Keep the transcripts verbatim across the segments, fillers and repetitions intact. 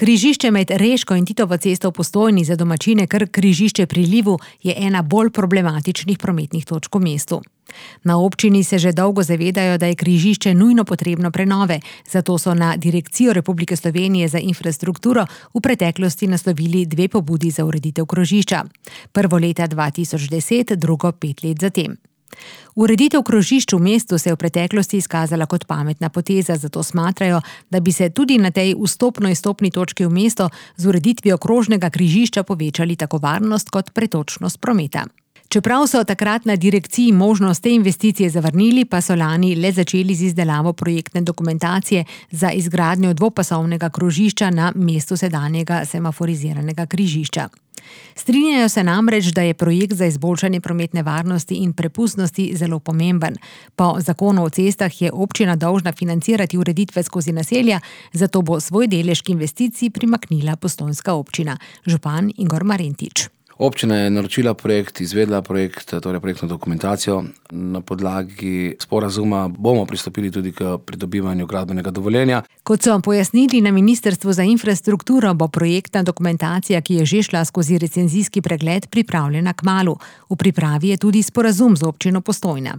Križišče med Reško in Titovo cesto v Postojni, za domačine kar križišče pri Livu, je ena bolj problematičnih prometnih točk v mestu. Na občini se že dolgo zavedajo, da je križišče nujno potrebno prenove, zato so na Direkcijo Republike Slovenije za infrastrukturo v preteklosti naslovili dve pobudi za ureditev krožišča. Prvo leta dva tisoč deset, drugo pet let zatem. Ureditev krožišč v mestu se je v preteklosti izkazala kot pametna poteza, zato smatrajo, da bi se tudi na tej vstopno-izstopni točki v mesto z ureditvijo krožnega križišča povečali tako varnost kot pretočnost prometa. Čeprav so takrat na direkciji možnost te investicije zavrnili, pa so lani le začeli z izdelavo projektne dokumentacije za izgradnjo dvopasovnega krožišča na mestu sedanjega semaforiziranega križišča. Strinjajo se namreč, da je projekt za izboljšanje prometne varnosti in prepustnosti zelo pomemben. Po zakonu o cestah je občina dolžna financirati ureditve skozi naselja, zato bo svoj delež k investiciji primaknila postojnska občina. Župan Igor Marentič. Občina je naročila projekt, izvedla projekt, torej projektno dokumentacijo. Na podlagi sporazuma bomo pristopili tudi k pridobivanju gradbenega dovoljenja. Kot so pojasnili na Ministrstvu za infrastrukturo, bo projektna dokumentacija, ki je že šla skozi recenzijski pregled, pripravljena kmalu. V pripravi je tudi sporazum z občino Postojna.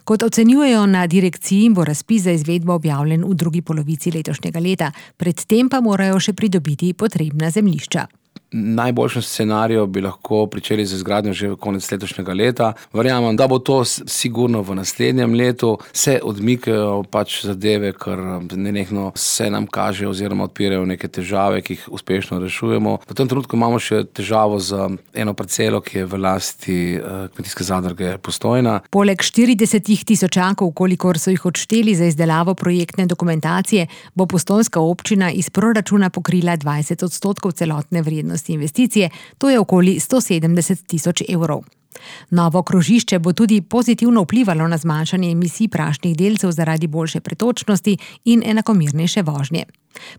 Kot ocenjujejo na direkciji, bo razpis za izvedbo objavljen v drugi polovici letošnjega leta, predtem pa morajo še pridobiti potrebna zemljišča. Najboljšem scenariju bi lahko pričeli z izgradnjo že v konec letošnjega leta. Verjamem, da bo to sigurno v naslednjem letu. Se odmikajo pač zadeve, ker nenehno se nam kaže oziroma odpirajo neke težave, ki jih uspešno rešujemo. V tem trenutku imamo še težavo z eno parcelo, ki je v lasti kmetijske zadruge Postojna. Poleg štirideset tisočakov, kolikor so jih odšteli za izdelavo projektne dokumentacije, bo postojnska občina iz proračuna pokrila dvajset odstotkov celotne vrednosti investicije, to je okoli sto sedemdeset tisoč evrov. Novo krožišče bo tudi pozitivno vplivalo na zmanjšanje emisij prašnih delcev zaradi boljše pretočnosti in enakomernejše vožnje.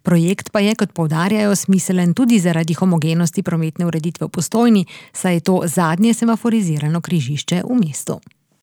Projekt pa je, kot poudarjajo, smiselen tudi zaradi homogenosti prometne ureditve v Postojni, saj je to zadnje semaforizirano križišče v mestu.